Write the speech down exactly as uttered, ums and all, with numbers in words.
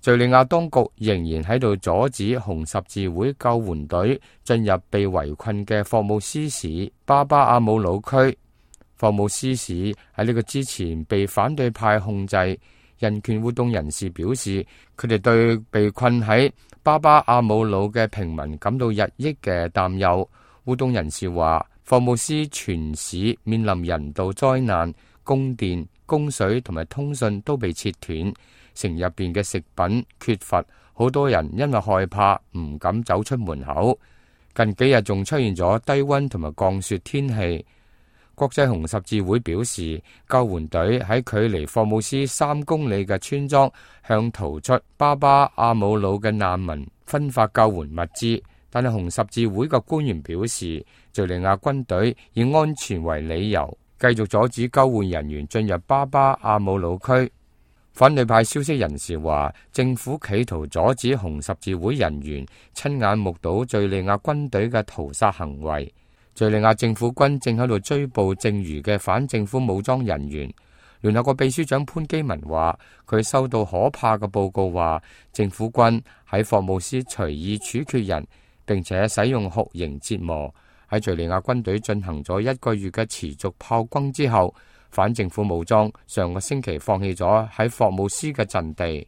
敘利亞當局仍然喺度阻止紅十字會救援隊進入被圍困嘅霍姆斯市巴巴阿姆魯區。霍姆斯市喺呢個之前被反對派控制。人權活動人士表示，佢哋對被困喺巴巴阿姆魯嘅平民感到日益嘅擔憂。活動人士話，霍姆斯全市面臨人道災難，供電、供水同埋通訊都被切斷，城入邊嘅食品缺乏，好多人因為害怕唔敢走出門口。近幾日仲出現咗低溫同埋降雪天氣。國際紅十字會表示，救援隊喺距離霍姆斯三公里嘅村莊向逃出巴巴阿姆魯嘅難民分發救援物資，但係紅十字會嘅官員表示，敘利亞軍隊以安全為理由，繼續阻止救援人員進入巴巴阿姆魯區。反對派消息人士話，政府企圖阻止紅十字會人員親眼目睹敘利亞軍隊嘅屠殺行為。敘利亞政府軍正喺度追捕剩餘嘅反政府武裝人員。聯合國秘書長潘基文話，佢收到可怕嘅報告，話政府軍喺霍姆斯隨意處決人，並且使用酷刑折磨。喺敘利亞軍隊進行咗一個月嘅持續炮轟之後，反政府武裝上個星期放棄咗喺霍姆斯嘅陣地。